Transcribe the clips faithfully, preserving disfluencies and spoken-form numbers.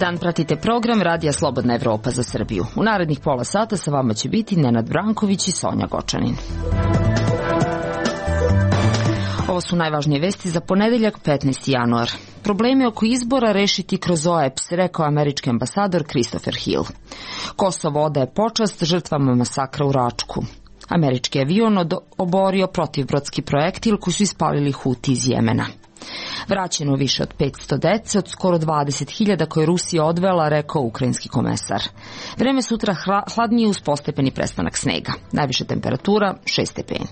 dan, pratite program Radija Slobodna Evropa za Srbiju. U narednih pola sata sa vama će biti Nenad Branković i Sonja Gočanin. Ovo su najvažnije vesti za ponedeljak petnaesti januar. Probleme oko izbora rešiti kroz O E P S, rekao američki ambasador Christopher Hill. Kosovo odaje počast žrtvama masakra u Račku. Američki avion oborio protivbrodski projektil koji su ispalili Huti iz Jemena. Vraćeno više od petsto dece od skoro dvadeset hiljada koje je Rusija odvela, rekao ukrajinski komesar. Vreme sutra hladnije uz postepeni prestanak snega. Najviša temperatura šest stepeni.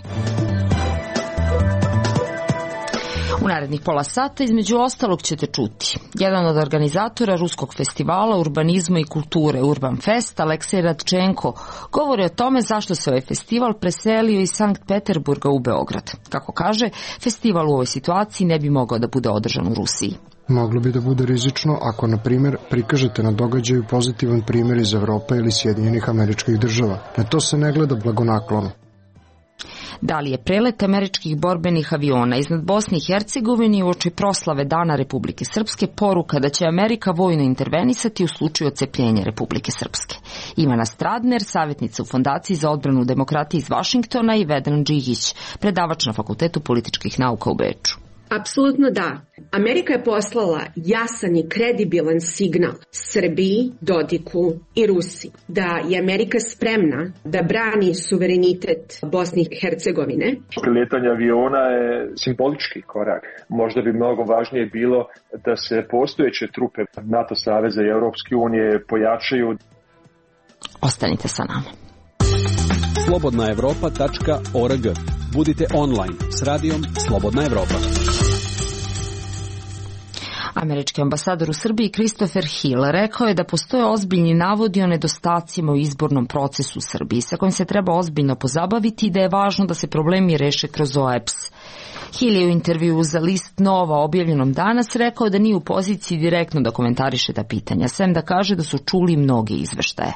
U narednih pola sata između ostalog ćete čuti. Jedan od organizatora ruskog festivala urbanizma i kulture Urban Fest, Aleksej Radčenko, govori o tome zašto se ovaj festival preselio iz Sankt Peterburga u Beograd. Kako kaže, festival u ovoj situaciji ne bi mogao da bude održan u Rusiji. Moglo bi da bude rizično ako, na primjer, prikažete na događaju pozitivan primjer iz Evrope ili Sjedinjenih Američkih Država. Na to se ne gleda blagonaklono. Da li je prelet američkih borbenih aviona iznad Bosne i Hercegovine uoči proslave Dana Republike Srpske poruka da će Amerika vojno intervenisati u slučaju odcepljenja Republike Srpske? Ivana Stradner, savjetnica u Fondaciji za odbranu demokratije iz Vašingtona, i Vedran Džigić, predavač na Fakultetu političkih nauka u Beču. Apsolutno da. Amerika je poslala jasan i kredibilan signal Srbiji, Dodiku i Rusiji da je Amerika spremna da brani suverenitet Bosne i Hercegovine. Priletanje aviona je simbolički korak. Možda bi mnogo važnije bilo da se postojeće trupe NATO saveza i Europske unije pojačaju. Ostanite sa nama. slobodna evropa tačka org. Budite online s radijom Slobodna Evropa. Američki ambasador u Srbiji Christopher Hill rekao je da postoje ozbiljni navodi o nedostacima u izbornom procesu u Srbiji sa kojim se treba ozbiljno pozabaviti i da je važno da se problemi reše kroz O E P S. Hill je u intervju za list Nova objavljenom danas rekao da nije u poziciji direktno da komentariše ta pitanja, sem da kaže da su čuli mnoge izveštaje.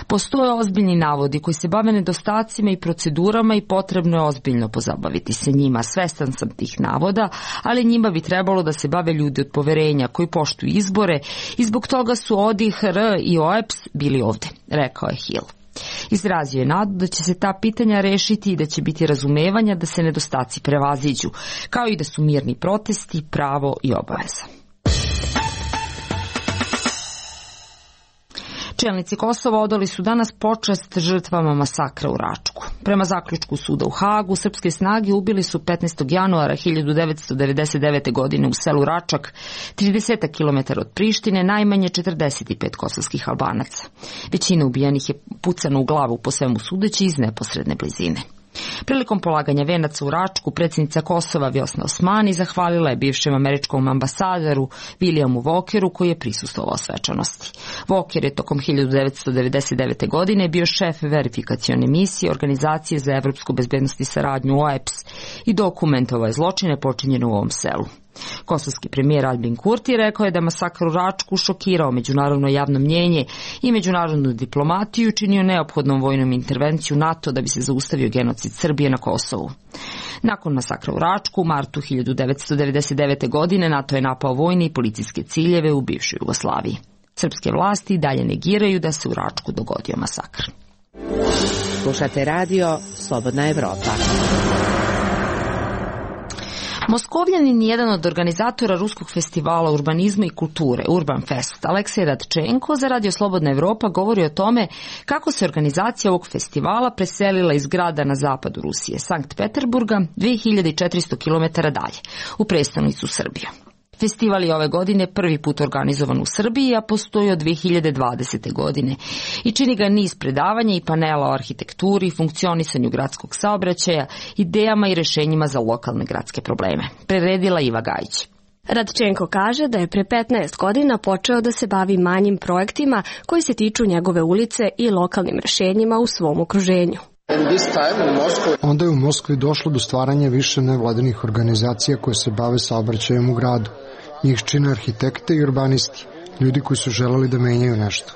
Postoje ozbiljni navodi koji se bave nedostacima i procedurama i potrebno je ozbiljno pozabaviti se njima. Svestan sam tih navoda, ali njima bi trebalo da se bave ljudi od poverenja koji poštuju izbore i zbog toga su O D I H R i O E P S bili ovde, rekao je Hill. Izrazio je nadu da će se ta pitanja rešiti i da će biti razumevanja da se nedostaci prevaziđu, kao i da su mirni protesti pravo i obaveza. Čelnici Kosova odali su danas počast žrtvama masakra u Račku. Prema zaključku suda u Hagu, srpske snage ubili su petnaestog januara hiljadu devetsto devedeset devete. godine u selu Račak, trideset kilometara od Prištine, najmanje četrdeset pet kosovskih Albanaca. Većina ubijenih je pucana u glavu, po svemu sudeći, iz neposredne blizine. Prilikom polaganja venaca u Račku, predsjednica Kosova Vjosna Osmani zahvalila je bivšem američkom ambasadoru Williamu Walkeru koji je prisustvovao svečanosti. Walker je tokom hiljadu devetsto devedeset devete. godine bio šef verifikacione misije Organizacije za evropsku bezbednost i saradnju O E P S i dokumentovao je zločine počinjene u ovom selu. Kosovski premijer Albin Kurti rekao je da masakr u Račku šokirao međunarodno javno mnjenje i međunarodnu diplomatiju, činio neophodnom vojnom intervenciju NATO da bi se zaustavio genocid Srbije na Kosovu. Nakon masakra u Račku, u martu hiljadu devetsto devedeset devete. godine NATO je napao vojne i policijske ciljeve u bivšoj Jugoslaviji. Srpske vlasti dalje negiraju da se u Račku dogodio masakr. Slušate radio Slobodna Evropa. Moskovljanin je jedan od organizatora ruskog festivala urbanizma i kulture Urban Fest, Aleksej Radčenko, za Radio Slobodna Evropa govori o tome kako se organizacija ovog festivala preselila iz grada na zapadu Rusije, Sankt Peterburga, dve hiljade četiristo kilometara dalje, u prestonicu Srbiju. Festival je ove godine prvi put organizovan u Srbiji, a postoji od dve hiljade dvadesete. godine i čini ga niz predavanja i panela o arhitekturi, funkcionisanju gradskog saobraćaja, idejama i rešenjima za lokalne gradske probleme. Preredila Iva Gajić. Radčenko kaže da je pre petnaest godina počeo da se bavi manjim projektima koji se tiču njegove ulice i lokalnim rešenjima u svom okruženju. Onda je u Moskvi došlo do stvaranja više nevladinih organizacija koje se bave saobraćajem u gradu. Njih čine arhitekte i urbanisti, ljudi koji su želeli da menjaju nešto.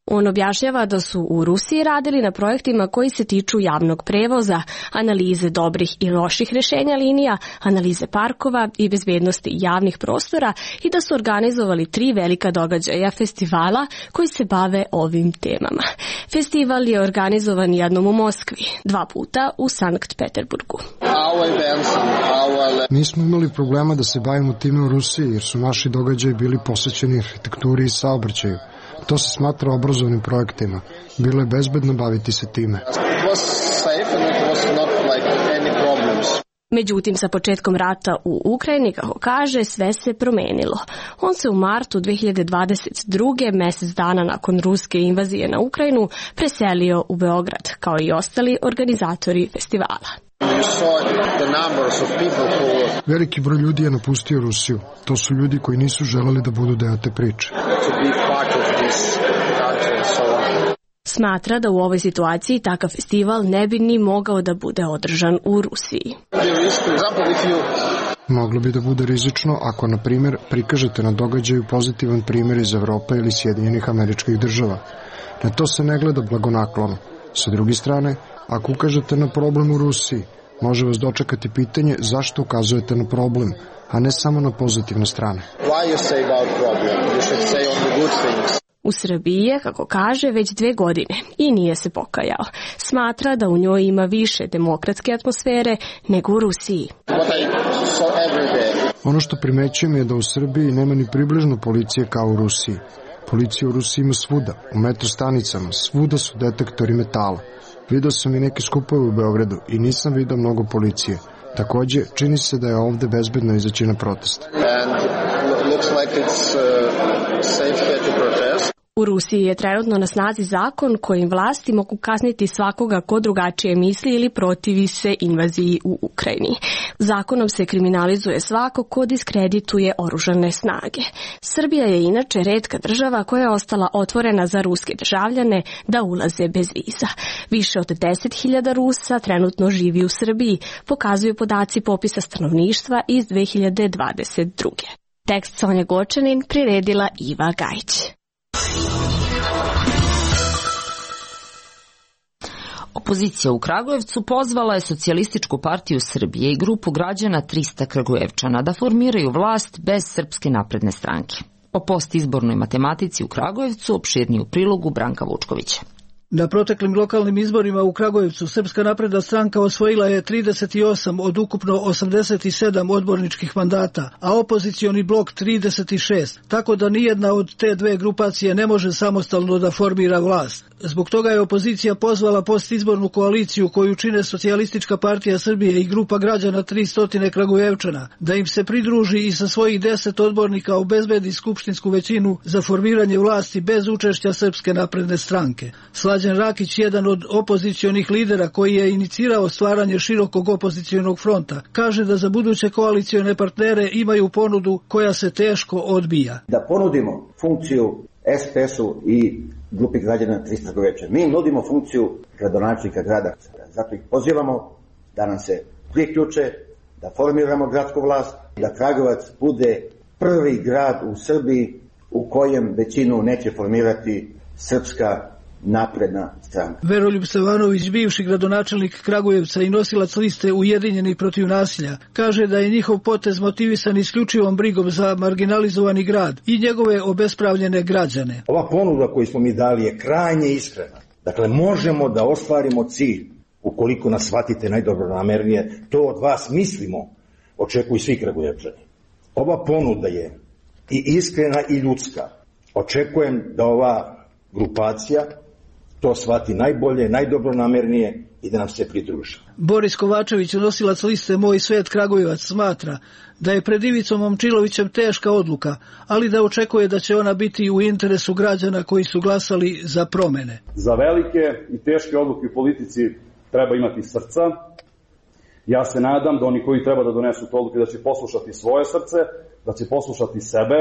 On objašnjava da su u Rusiji radili na projektima koji se tiču javnog prevoza, analize dobrih i loših rješenja linija, analize parkova i bezbednosti javnih prostora i da su organizovali tri velika događaja festivala koji se bave ovim temama. Festival je organizovan jednom u Moskvi, dva puta u Sankt Peterburgu. Nismo imali problema da se bavimo time u Rusiji jer su naši događaji bili posvećeni arhitekturi i saobraćaju. To se smatra obrazovnim projektima. Bilo je bezbedno baviti se time. Međutim, sa početkom rata u Ukrajini, kako kaže, sve se promenilo. On se u martu dve hiljade dvadeset druge, mjesec dana nakon ruske invazije na Ukrajinu, preselio u Beograd, kao i ostali organizatori festivala. Veliki broj ljudi je napustio Rusiju. To su ljudi koji nisu želeli da budu deo te priče. Smatra da u ovoj situaciji takav festival ne bi ni mogao da bude održan u Rusiji. Moglo bi da bude rizično ako, na primjer, prikažete na događaju pozitivan primjer iz Evrope ili Sjedinjenih Američkih Država. Na to se ne gleda blagonaklono. Sa druge strane, ako ukažete na problem u Rusiji, može vas dočekati pitanje zašto ukazujete na problem, a ne samo na pozitivne strane. U Srbiji je, kako kaže, već dve godine i nije se pokajao. Smatra da u njoj ima više demokratske atmosfere nego u Rusiji. Ono što primećujem je da u Srbiji nema ni približno policije kao u Rusiji. Policija u Rusiji ima svuda, u metro stanicama, svuda su detektori metala. Video sam i neke skupove u Beogradu i nisam vidio mnogo policije. Takođe, čini se da je ovde bezbedno izaći na protest. U Rusiji je trenutno na snazi zakon kojim vlasti mogu kazniti svakoga ko drugačije misli ili protivi se invaziji u Ukrajini. Zakonom se kriminalizuje svako ko diskredituje oružane snage. Srbija je inače retka država koja je ostala otvorena za ruske državljane da ulaze bez viza. Više od deset hiljada Rusa trenutno živi u Srbiji, pokazuju podaci popisa stanovništva iz dve hiljade dvadeset druge. Tekst Sonja Gočanin priredila Iva Gajić. Opozicija u Kragujevcu pozvala je Socijalističku partiju Srbije i grupu građana trista Kragujevčana da formiraju vlast bez Srpske napredne stranke. O postizbornoj matematici u Kragujevcu opširniju prilogu Branka Vučkovića. Na proteklim lokalnim izborima u Kragujevcu Srpska napredna stranka osvojila je trideset osam od ukupno osamdeset sedam odborničkih mandata, a opozicioni blok trideset šest, tako da nijedna od te dve grupacije ne može samostalno da formira vlast. Zbog toga je opozicija pozvala postizbornu koaliciju koju čine Socijalistička partija Srbije i grupa građana tristo Kragujevčana da im se pridruži i sa svojih deset odbornika obezbedi skupštinsku većinu za formiranje vlasti bez učešća Srpske napredne stranke. Slađan Rakić, jedan od opozicionih lidera koji je inicirao stvaranje širokog opozicionog fronta, kaže da za buduće koalicione partnere imaju ponudu koja se teško odbija. Da ponudimo funkciju es pe esu i grupi građana trista Kragujevčana. Mi nudimo funkciju gradonačelnika grada. Zato ih pozivamo da nam se priključe, da formiramo gradsku vlast, da Kragujevac bude prvi grad u Srbiji u kojem većinu neće formirati Srpska napredna stranka. Veroljub Stevanović, bivši gradonačelnik Kragujevca i nosilac liste Ujedinjeni protiv nasilja, kaže da je njihov potez motivisan isključivom brigom za marginalizovani grad i njegove obespravljene građane. Ova ponuda koju smo mi dali je krajnje iskrena. Dakle, možemo da ostvarimo cilj, ukoliko nas shvatite najdobronamernije, to od vas mislimo, očekuju svi Kragujevčani. Ova ponuda je i iskrena i ljudska. Očekujem da ova grupacija to shvati najbolje, najdobronamernije i da nam se pridruži. Boris Kovačević, nosilac liste Moj svet Kragujevac, smatra da je pred Ivicom Momčilovićem teška odluka, ali da očekuje da će ona biti u interesu građana koji su glasali za promene. Za velike i teške odluke u politici treba imati srca. Ja se nadam da oni koji treba da donesu te odluke da će poslušati svoje srce, da će poslušati sebe,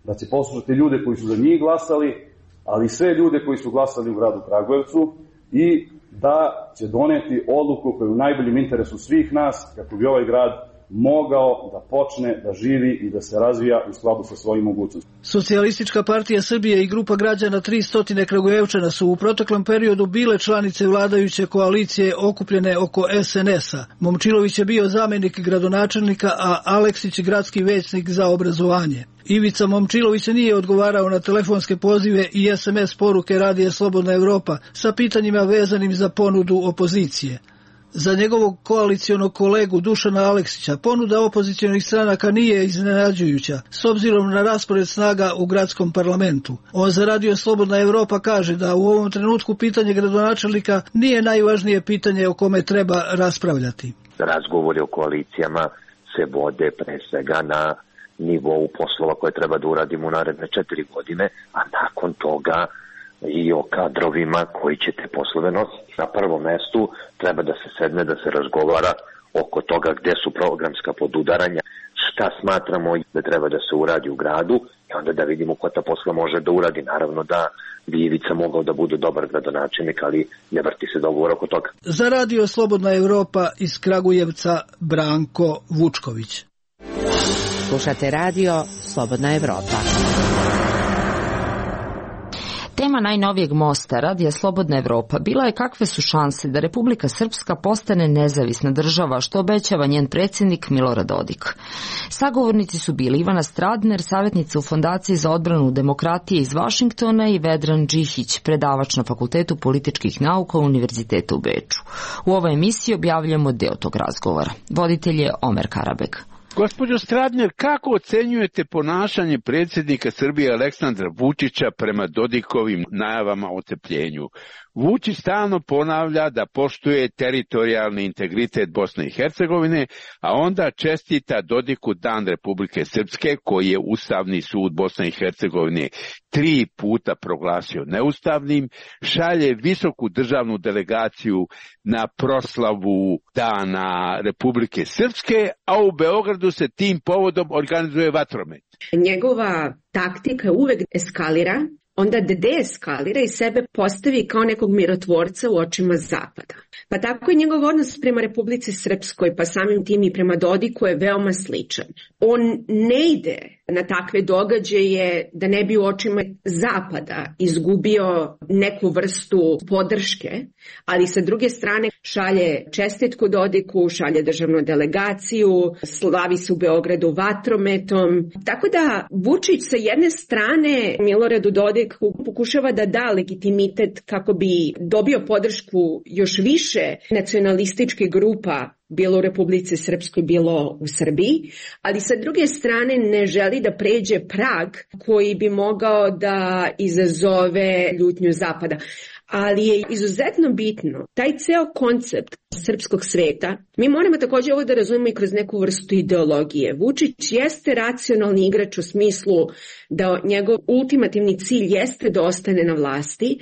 da će poslušati ljude koji su za njih glasali, ali sve ljude koji su glasali u gradu Kragujevcu i da će doneti odluku koja je u najboljem interesu svih nas kako bi ovaj grad mogao da počne da živi i da se razvija u skladu sa svojim mogućnostima. Socijalistička partija Srbije i grupa građana tristo Kragujevčana su u proteklom periodu bile članice vladajuće koalicije okupljene oko es en es-a. Momčilović je bio zamenik gradonačelnika, a Aleksić gradski većnik za obrazovanje. Ivica Momčilović nije odgovarao na telefonske pozive i es em es poruke Radija Slobodna Evropa sa pitanjima vezanim za ponudu opozicije. Za njegovog koalicionog kolegu Dušana Aleksića ponuda opozicionih stranaka nije iznenađujuća s obzirom na raspored snaga u gradskom parlamentu. On za Radio Slobodna Evropa kaže da u ovom trenutku pitanje gradonačelnika nije najvažnije pitanje o kome treba raspravljati. Razgovori o koalicijama se vode pre svega na nivou poslova koje treba da uradimo u naredne četiri godine, a nakon toga i o kadrovima koji će te poslove nositi. Na prvom mestu treba da se sedne, da se razgovara oko toga gde su programska podudaranja, šta smatramo da treba da se uradi u gradu i onda da vidimo ko ta posla može da uradi. Naravno da bi Ivica mogao da bude dobar gradonačelnik, ali ne vrti se dogovor oko toga. Za Radio Slobodna Evropa iz Kragujevca Branko Vučković. Slušate Radio Slobodna Evropa. Tema najnovijeg mosta Radija Slobodna Evropa bila je kakve su šanse da Republika Srpska postane nezavisna država, što obećava njen predsjednik Milorad Dodik. Sagovornici su bili Ivana Stradner, savjetnica u Fondaciji za odbranu demokratije iz Vašingtona, i Vedran Džihić, predavač na Fakultetu političkih nauka Univerziteta u Beču. U ovoj emisiji objavljamo deo tog razgovora. Voditelj je Omer Karabeg. Gospođo Stradner, kako ocenjujete ponašanje predsjednika Srbije Aleksandra Vučića prema Dodikovim najavama o ocepljenju? Vučić stalno ponavlja da poštuje teritorijalni integritet Bosne i Hercegovine, a onda čestita Dodiku Dan Republike Srpske, koji je Ustavni sud Bosne i Hercegovine tri puta proglasio neustavnim, šalje visoku državnu delegaciju na proslavu Dana Republike Srpske, a u Beogradu se tim povodom organizuje vatromet. Njegova taktika uvek eskalira, onda deeskalira i sebe postavi kao nekog mirotvorca u očima Zapada. Pa tako i njegov odnos prema Republici Srpskoj, pa samim tim i prema Dodiku, je veoma sličan. On ne ide na takve događaje da ne bi u očima Zapada izgubio neku vrstu podrške, ali sa druge strane šalje čestitku Dodiku, šalje državnu delegaciju, slavi se u Beogradu vatrometom. Tako da Vučić sa jedne strane Miloradu Dodiku pokušava da da legitimitet kako bi dobio podršku još više nacionalističkih grupa, bilo u Republici Srpskoj, bilo u Srbiji, ali sa druge strane ne želi da pređe prag koji bi mogao da izazove ljutnju Zapada. Ali je izuzetno bitno, taj ceo koncept srpskog sveta, mi moramo također ovo da razumemo i kroz neku vrstu ideologije. Vučić jeste racionalni igrač u smislu da njegov ultimativni cilj jeste da ostane na vlasti,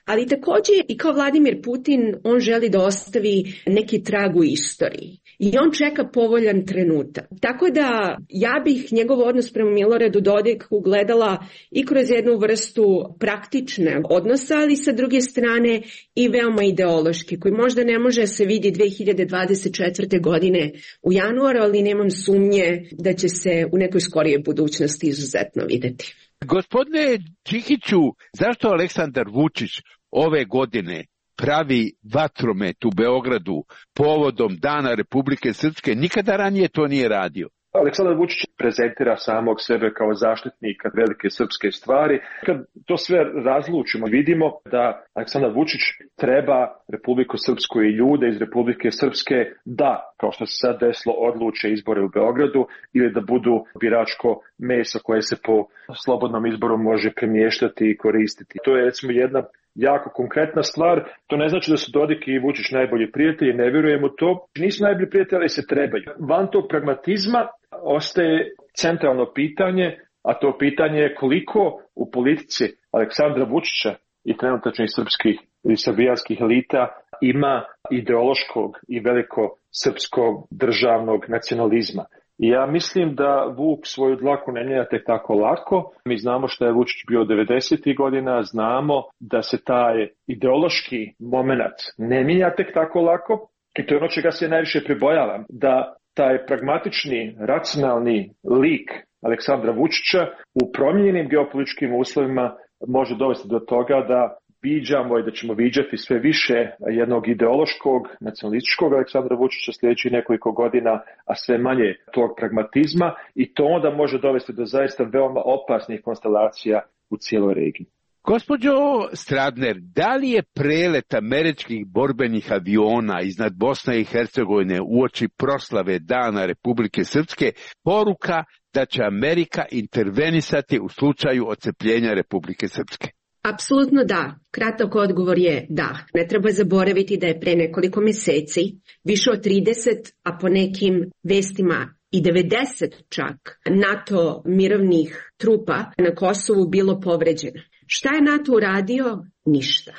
ali također i kao Vladimir Putin on želi da ostavi neki trag u istoriji i on čeka povoljan trenutak. Tako da ja bih njegov odnos prema Miloradu Dodiku gledala i kroz jednu vrstu praktične odnosa, ali sa druge strane i veoma ideološki, koji možda ne može se vidi dve hiljade dvadeset četvrte. godine u januaru, ali nemam sumnje da će se u nekoj skorijoj budućnosti izuzetno videti. Gospodine Čihiću, zašto Aleksandar Vučić ove godine pravi vatromet u Beogradu povodom Dana Republike Srpske? Nikada ranije to nije radio. Aleksandar Vučić prezentira samog sebe kao zaštitnika velike srpske stvari. Kad to sve razlučimo, vidimo da Aleksandar Vučić treba Republiku Srpsku i ljude iz Republike Srpske da, kao što se sad desilo, odluče izbore u Beogradu ili da budu biračko meso koje se po slobodnom izboru može premještati i koristiti. To je recimo jedna jako konkretna stvar. To ne znači da su Dodik i Vučić najbolji prijatelji, ne vjerujem u to. Nisu najbolji prijatelji, ali se trebaju. Van tog pragmatizma ostaje centralno pitanje, a to pitanje je koliko u politici Aleksandra Vučića i trenutačnih srpskih i srbijanskih elita ima ideološkog i veliko srpskog državnog nacionalizma. I ja mislim da Vuk svoju dlaku ne mijenja tek tako lako. Mi znamo što je Vučić bio devedesetih godina, znamo da se taj ideološki moment ne mijenja tek tako lako. I to je ono čega se najviše pribojavam, da taj pragmatični, racionalni lik Aleksandra Vučića u promijenjenim geopolitičkim uslovima može dovesti do toga da viđamo i da ćemo viđati sve više jednog ideološkog, nacionalističkog Aleksandra Vučića sljedećih nekoliko godina, a sve manje tog pragmatizma, i to onda može dovesti do zaista veoma opasnih konstelacija u cijeloj regiji. Gospođo Stradner, da li je prelet američkih borbenih aviona iznad Bosne i Hercegovine uoči proslave Dana Republike Srpske poruka da će Amerika intervenisati u slučaju odcepljenja Republike Srpske? Apsolutno da. Kratak odgovor je da. Ne treba zaboraviti da je pre nekoliko mjeseci više od trideset, a po nekim vestima i devedeset čak NATO mirovnih trupa na Kosovu bilo povređeno. Šta je NATO uradio? Ništa.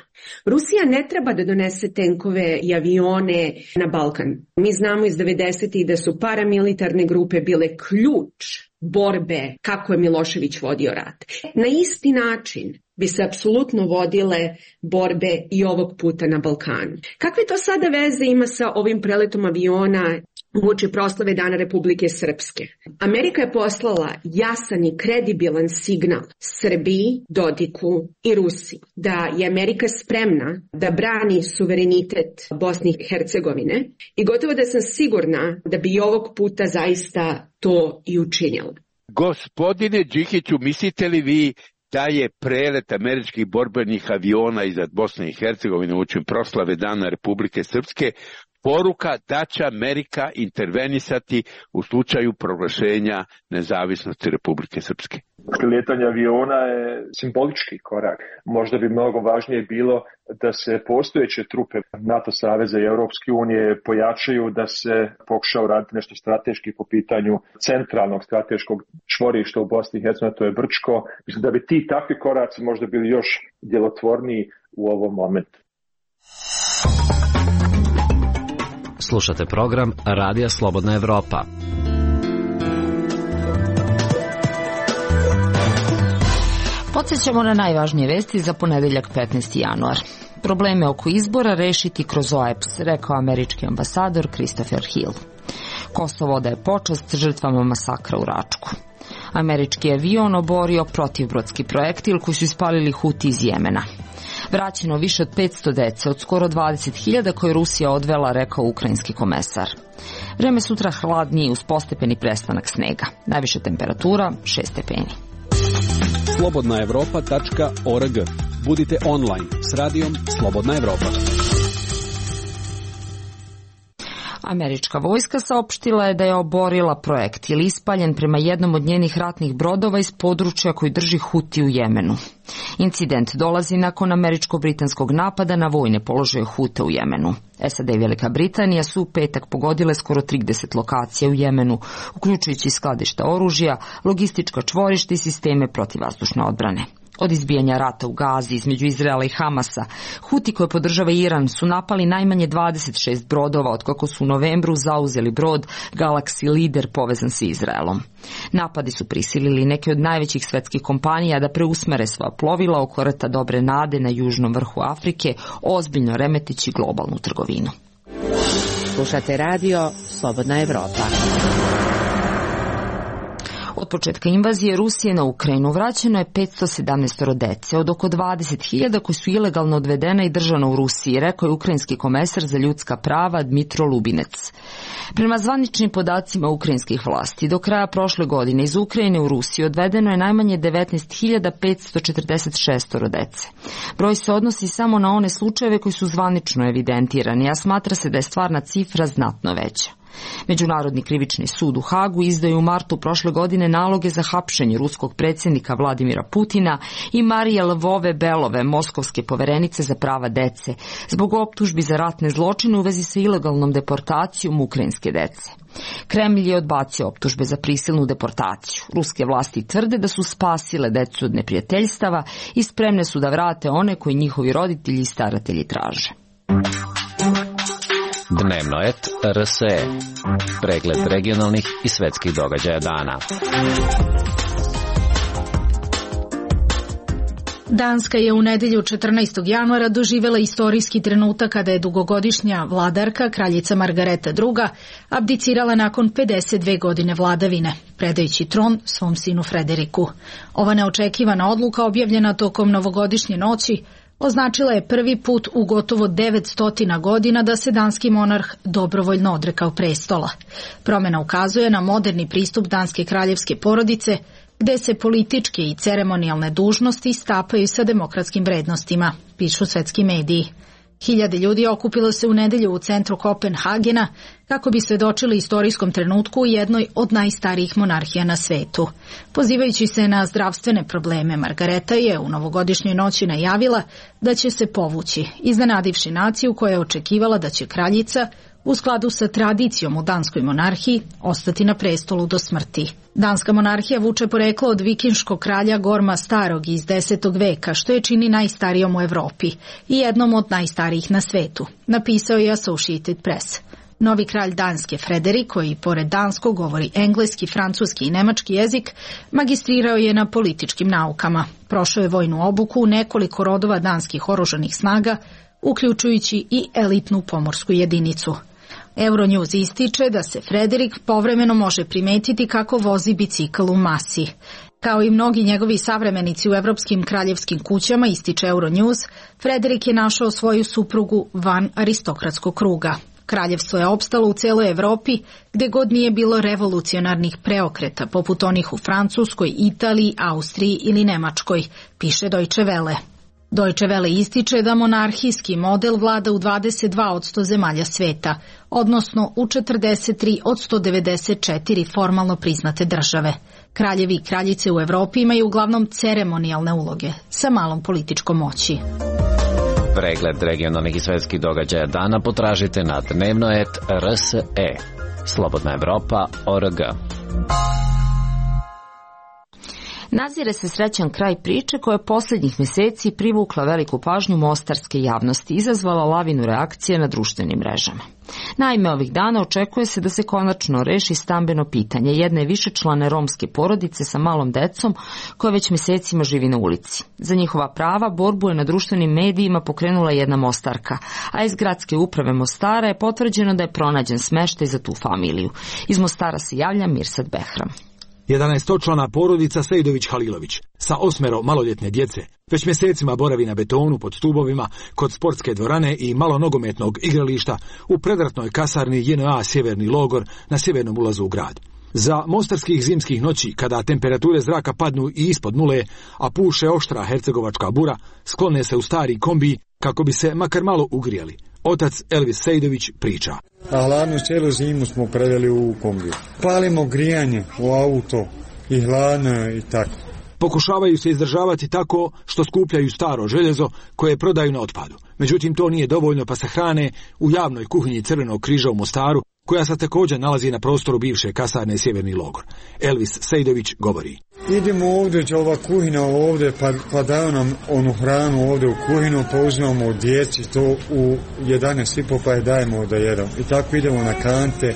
Rusija ne treba da donese tenkove i avione na Balkan. Mi znamo iz devedesetih da su paramilitarne grupe bile ključ borbe kako je Milošević vodio rat. Na isti način bi se apsolutno vodile borbe i ovog puta na Balkanu. Kakve to sada veze ima sa ovim preletom aviona uoči proslave Dana Republike Srpske? Amerika je poslala jasan i kredibilan signal Srbiji, Dodiku i Rusiji da je Amerika spremna da brani suverenitet Bosne i Hercegovine i gotovo da sam sigurna da bi i ovog puta zaista to i učinila. Gospodine Đikiću, mislite li vi da je prelet američkih borbenih aviona iznad Bosne i Hercegovine uoči proslave Dana Republike Srpske poruka da će Amerika intervenisati u slučaju proglašenja nezavisnosti Republike Srpske? Lijetanje aviona je simbolički korak. Možda bi mnogo važnije bilo da se postojeće trupe NATO saveza i Europske unije pojačaju, da se pokuša uraditi nešto strateški po pitanju centralnog strateškog čvorišta u Bosni i Hercegovini, to je Brčko. Mislim da bi ti takvi koraci možda bili još djelotvorniji u ovom momentu. Slušate program Radija Slobodna Evropa. Podsjećamo na najvažnije vesti za ponedeljak petnaesti januar. Probleme oko izbora rešiti kroz O E P S, rekao američki ambasador Christopher Hill. Kosovo odaje počast žrtvama masakra u Račku. Američki avion oborio protivbrodski projektil koji su ispalili Huti iz Jemena. Vraćeno više od petsto dece od skoro dvadeset hiljada koje Rusija odvela, rekao ukrajinski komesar. Vreme sutra hladnije uz postepeni prestanak snega. Najviša temperatura šest stepeni. slobodna evropa tačka org. Budite online s radijom Slobodna Evropa. Američka vojska saopštila je da je oborila projektil ispaljen prema jednom od njenih ratnih brodova iz područja koji drži Huti u Jemenu. Incident dolazi nakon američko-britanskog napada na vojne položaje Huta u Jemenu. S A D i Velika Britanija su u petak pogodile skoro trideset lokacija u Jemenu, uključujući skladišta oružja, logistička čvorišta i sisteme protivvazdušne odbrane. Od izbijanja rata u Gazi između Izraela i Hamasa, Huti koje podržava Iran su napali najmanje dvadeset šest brodova otkako su u novembru zauzeli brod Galaxy Leader povezan sa Izraelom. Napadi su prisilili neke od najvećih svetskih kompanija da preusmere svoja plovila oko rta Dobre nade na južnom vrhu Afrike, ozbiljno remetići globalnu trgovinu. Slušate radio Slobodna Evropa. Od početka invazije Rusije na Ukrajinu vraćeno je petsto sedamnaest dece od oko dvadeset hiljada koji su ilegalno odvedena i držana u Rusiji, rekao je ukrajinski komesar za ljudska prava Dmitro Lubinec. Prema zvaničnim podacima ukrajinskih vlasti, do kraja prošle godine iz Ukrajine u Rusiju odvedeno je najmanje devetnaest hiljada petsto četrdeset šest dece. Broj se odnosi samo na one slučajeve koji su zvanično evidentirani, a smatra se da je stvarna cifra znatno veća. Međunarodni krivični sud u Hagu izdao je u martu prošle godine naloge za hapšenje ruskog predsjednika Vladimira Putina i Marije Lvove Belove, moskovske poverenice za prava dece, zbog optužbi za ratne zločine u vezi sa ilegalnom deportacijom ukrajinske dece. Kremlj je odbacio optužbe za prisilnu deportaciju. Ruske vlasti tvrde da su spasile decu od neprijateljstava i spremne su da vrate one koji njihovi roditelji i staratelji traže. Dnevno et R S E. Pregled regionalnih i svetskih događaja dana. Danska je u nedelju četrnaestog januara doživela istorijski trenutak kada je dugogodišnja vladarka, kraljica Margareta druga, abdicirala nakon pedeset dve godine vladavine, predajući tron svom sinu Frederiku. Ova neočekivana odluka, objavljena tokom novogodišnje noći, označila je prvi put u gotovo devetsto godina da se danski monarh dobrovoljno odrekao prestola. Promjena ukazuje na moderni pristup danske kraljevske porodice, gde se političke i ceremonijalne dužnosti stapaju sa demokratskim vrednostima, pišu svetski mediji. Hiljade ljudi okupilo se u nedelju u centru Kopenhagena kako bi svedočili istorijskom trenutku u jednoj od najstarijih monarhija na svetu. Pozivajući se na zdravstvene probleme, Margareta je u novogodišnjoj noći najavila da će se povući, iznenadivši naciju koja je očekivala da će kraljica, u skladu sa tradicijom u danskoj monarhiji, ostati na prestolu do smrti. Danska monarhija vuče poreklo od vikinškog kralja Gorma Starog iz desetog veka, što je čini najstarijom u Evropi i jednom od najstarijih na svetu, napisao je Associated Press. Novi kralj Danske, Frederik, koji pored danskog govori engleski, francuski i nemački jezik, magistrirao je na političkim naukama. Prošao je vojnu obuku u nekoliko rodova danskih oružanih snaga, uključujući i elitnu pomorsku jedinicu. Euronews ističe da se Frederik povremeno može primetiti kako vozi bicikl u masi. Kao i mnogi njegovi savremenici u evropskim kraljevskim kućama, ističe Euronews, Frederik je našao svoju suprugu van aristokratskog kruga. Kraljevstvo je opstalo u celoj Evropi, gde god nije bilo revolucionarnih preokreta, poput onih u Francuskoj, Italiji, Austriji ili Nemačkoj, piše Deutsche Welle. Deutsche Welle ističe da monarhijski model vlada u dvadeset dva posto zemalja sveta, odnosno u četrdeset tri od sto devedeset četiri formalno priznate države. Kraljevi i kraljice u Evropi imaju uglavnom ceremonijalne uloge, sa malom političkom moći. Pregled regionalnih i svetskih događaja dana potražite na dnevno et er es e. Slobodna Evropa tačka org. Nazire se srećan kraj priče koja je posljednjih mjeseci privukla veliku pažnju mostarske javnosti i izazvala lavinu reakcije na društvenim mrežama. Naime, ovih dana očekuje se da se konačno reši stambeno pitanje jedne višečlane romske porodice sa malom decom koja već mjesecima živi na ulici. Za njihova prava borbu je na društvenim medijima pokrenula jedna Mostarka, a iz gradske uprave Mostara je potvrđeno da je pronađen smeštaj za tu familiju. Iz Mostara se javlja Mirsad Behram. jedanaestočlana porodica Sejdović-Halilović sa osmero maloljetne djece već mjesecima boravi na betonu pod stubovima kod sportske dvorane i malonogometnog igrališta u predratnoj kasarni J N A Sjeverni logor na sjevernom ulazu u grad. Za mostarskih zimskih noći, kada temperature zraka padnu i ispod nule, a puše oštra hercegovačka bura, sklone se u stari kombi kako bi se makar malo ugrijali. Otac Elvis Sejdović priča. A hladnu cijelu zimu smo preveli u kombiju. Palimo grijanje u auto i hladno i tako. Pokušavaju se izdržavati tako što skupljaju staro željezo koje prodaju na otpadu. Međutim, to nije dovoljno pa se hrane u javnoj kuhinji Crvenog križa u Mostaru, koja se također nalazi na prostoru bivše kasarne Sjeverni logor. Elvis Sejdović govori. Idemo ovdje, će ova kuhina ovdje, pa, pa daju nam onu hranu ovdje u kuhinu, pa uzmemo od djeci to u jedanaest i po pa je dajemo da jedemo. I tako idemo na kante,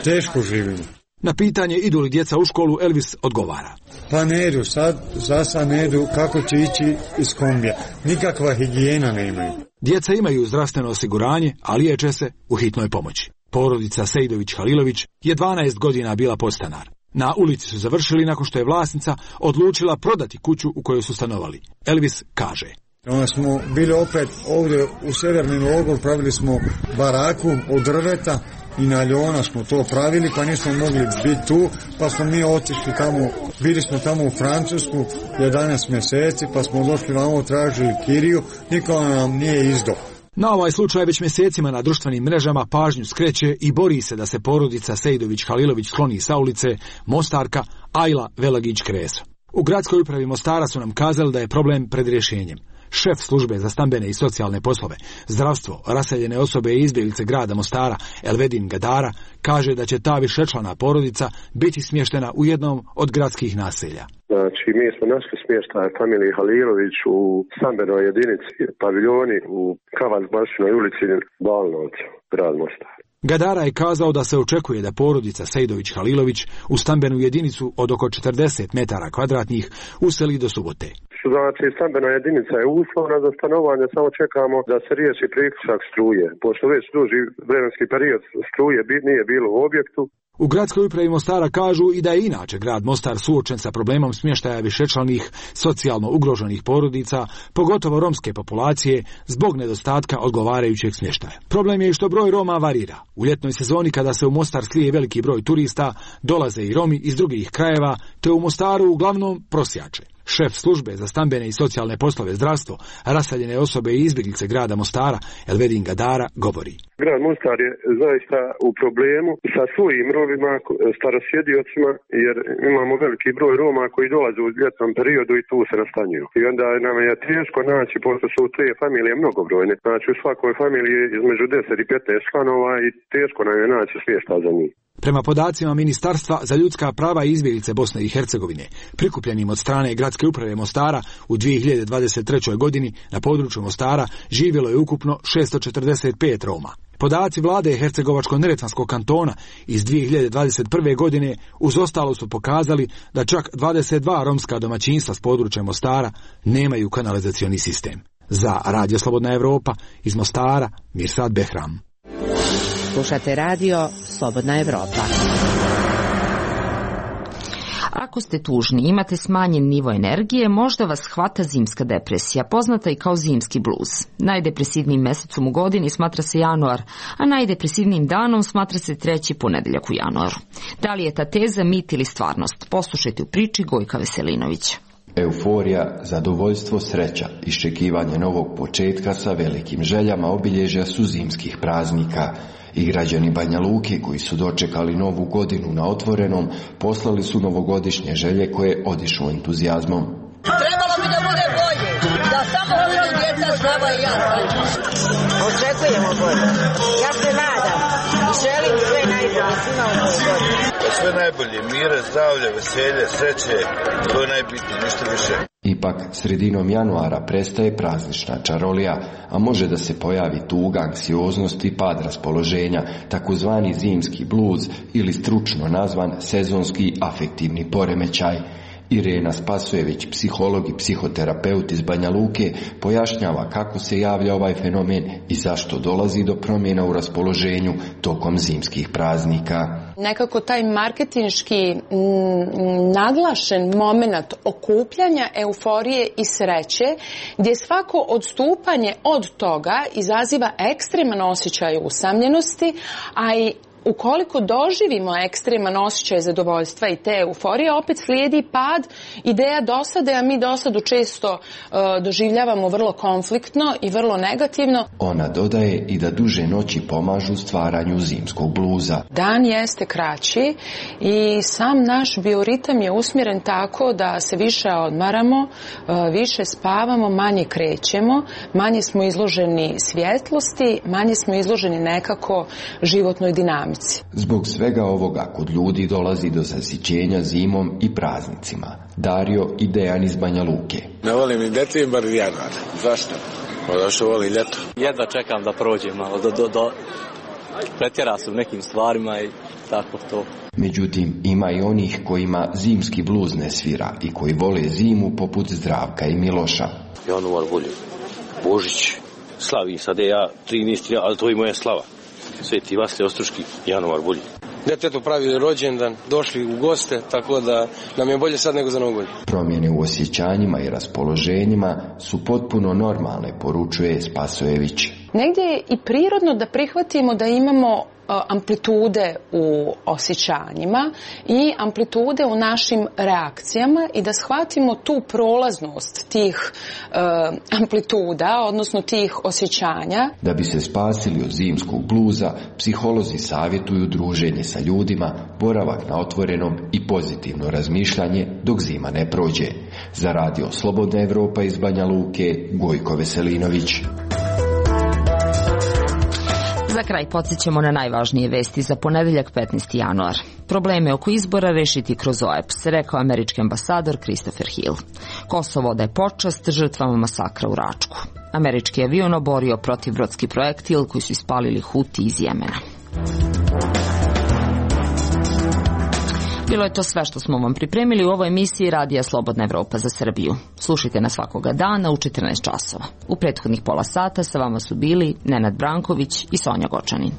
teško živimo. Na pitanje idu li djeca u školu, Elvis odgovara. Pa ne idu, sad, za sad ne idu, kako će ići iz kombija. Nikakva higijena ne imaju. Djeca imaju zdravstveno osiguranje, a liječe se u hitnoj pomoći. Porodica Sejdović-Halilović je dvanaest godina bila podstanar. Na ulici su završili nakon što je vlasnica odlučila prodati kuću u kojoj su stanovali. Elvis kaže. Onda smo bili opet ovdje u Sjeverni logor, pravili smo baraku od drveta i na ljona smo to pravili, pa nismo mogli biti tu, pa smo mi otišli tamo, bili smo tamo u Francusku jedanaest mjeseci, pa smo došli vamo, tražili kiriju, niko nam nije izdao. Na ovaj slučaj već mjesecima na društvenim mrežama pažnju skreće i bori se da se porodica Sejdović-Halilović skloni sa ulice Mostarka Ajla Velagić-Kreso. U gradskoj upravi Mostara su nam kazali da je problem pred rješenjem. Šef službe za stambene i socijalne poslove, zdravstvo, raseljene osobe i izbjeglice grada Mostara, Elvedin Gadara, kaže da će ta višečlana porodica biti smještena u jednom od gradskih naselja. Znači, mi smo našli smještaj familiji Halilović u stambenoj jedinici paviljoni u Kavaz-Bašinoj ulici Balnovcu, grad Mostar. Gadara je kazao da se očekuje da porodica Sejdović-Halilović u stambenu jedinicu od oko četrdeset metara kvadratnih useli do subote. Znači, stambena jedinica je uslovna za stanovanje, samo čekamo da se riješi priključak struje, pošto već duži vremenski period struje nije bilo u objektu. U gradskoj upravi Mostara kažu i da je inače grad Mostar suočen sa problemom smještaja višečlanih socijalno ugroženih porodica, pogotovo romske populacije, zbog nedostatka odgovarajućeg smještaja. Problem je i što broj Roma varira. U ljetnoj sezoni kada se u Mostar slije veliki broj turista, dolaze i Romi iz drugih krajeva, te u Mostaru uglavnom prosjače. Šef službe za stambene i socijalne poslove zdravstvo, raseljene osobe i izbjeglice grada Mostara, Elvedin Gadara, govori. Grad Mostar je zaista u problemu sa svojim Romima, starosjediocima, jer imamo veliki broj Roma koji dolaze u ljetnom periodu i tu se nastanjuju. I onda nam je teško naći, pošto su te familije mnogobrojne. Znači u svakoj familiji između deset i petnaest članova i teško nam je naći smještaj za njih. Prema podacima Ministarstva za ljudska prava i izbjeglice Bosne i Hercegovine, prikupljenim od strane Gradske uprave Mostara, u dvije hiljade dvadeset trećoj. godini na području Mostara živjelo je ukupno šesto četrdeset pet Roma. Podaci vlade Hercegovačko-neretvanskog kantona iz dvije hiljade dvadeset prve. godine uz ostalo su pokazali da čak dvadeset dva romska domaćinstva s područja Mostara nemaju kanalizacioni sistem. Za Radio Slobodna Evropa iz Mostara, Mirsad Behram. Slušate radio Slobodna Evropa. Ako ste tužni, imate smanjen nivo energije, možda vas hvata zimska depresija, poznata i kao zimski bluz. Najdepresivnijim mesecom u godini smatra se januar, a najdepresivnijim danom smatra se treći ponedeljak u januaru. Da li je ta teza mit ili stvarnost? Poslušajte u priči Gojka Veselinovića. Euforija, zadovoljstvo, sreća, iščekivanje novog početka sa velikim željama obilježja su zimskih praznika. I građani Banja Luke koji su dočekali novu godinu na otvorenom, poslali su novogodišnje želje koje odišu entuzijazmom. Trebalo bi da bude bolje, da samo budu djeca zdrava i jasna. Očekujemo bolje. Ja se nadam i želim sve najbolje svima u ovoj godini. Sve najbolje, mira, zdravlja, veselje, sreće, to je najbitnije, ništa više. Ipak, sredinom januara prestaje praznična čarolija, a može da se pojavi tuga, anksioznost i pad raspoloženja, takozvani zimski bluz ili stručno nazvan sezonski afektivni poremećaj. Irena Spasojević, psiholog i psihoterapeut iz Banja Luke, pojašnjava kako se javlja ovaj fenomen i zašto dolazi do promjena u raspoloženju tokom zimskih praznika. Nekako taj marketinški m, naglašen moment okupljanja, euforije i sreće, gdje svako odstupanje od toga izaziva ekstreman osjećaj usamljenosti, a i ukoliko doživimo ekstreman osjećaj zadovoljstva i te euforije, opet slijedi pad ideja dosade, a mi dosadu često uh, doživljavamo vrlo konfliktno i vrlo negativno. Ona dodaje i da duže noći pomažu stvaranju zimskog bluza. Dan jeste kraći i sam naš bioritam je usmjeren tako da se više odmaramo, uh, više spavamo, manje krećemo, manje smo izloženi svjetlosti, manje smo izloženi nekako životnoj dinamici. Zbog svega ovoga kod ljudi dolazi do zasićenja zimom i praznicima. Dario i Dejan iz Banja Luke. Ne volim ni decembar ni januar. Zašto? Zato što volim ljeto. Jedva čekam da prođem malo, do, do, do. pretjera se u nekim stvarima i tako to. Međutim, ima i onih kojima zimski bluz ne svira i koji vole zimu poput Zdravka i Miloša. Januar volje, Božić, slavi sad je ja trinaesti, ali to je moja slava. Sveti Vasilij Ostroški, januar bolji. Djetetu pravi rođendan, došli u goste, tako da nam je bolje sad nego za novu godinu. Promjene u osjećanjima i raspoloženjima su potpuno normalne, poručuje Spasojević. Negdje je i prirodno da prihvatimo da imamo amplitude u osjećanjima i amplitude u našim reakcijama i da shvatimo tu prolaznost tih uh, amplituda, odnosno tih osjećanja. Da bi se spasili od zimskog bluza, psiholozi savjetuju druženje sa ljudima, boravak na otvorenom i pozitivno razmišljanje dok zima ne prođe. Za Radio Slobodna Evropa iz Banja Luke, Gojko Veselinović. Za kraj podsjećamo na najvažnije vesti za ponedeljak petnaesti januar. Probleme oko izbora rešiti kroz O E P S, rekao američki ambasador Christopher Hill. Kosovo odaje počast žrtvama masakra u Račku. Američki avion oborio protivbrodski projektil koji su ispalili Huti iz Jemena. Bilo je to sve što smo vam pripremili u ovoj emisiji Radija Slobodna Evropa za Srbiju. Slušajte nas svakoga dana u četrnaest časova. U prethodnih pola sata sa vama su bili Nenad Branković i Sonja Gočanin.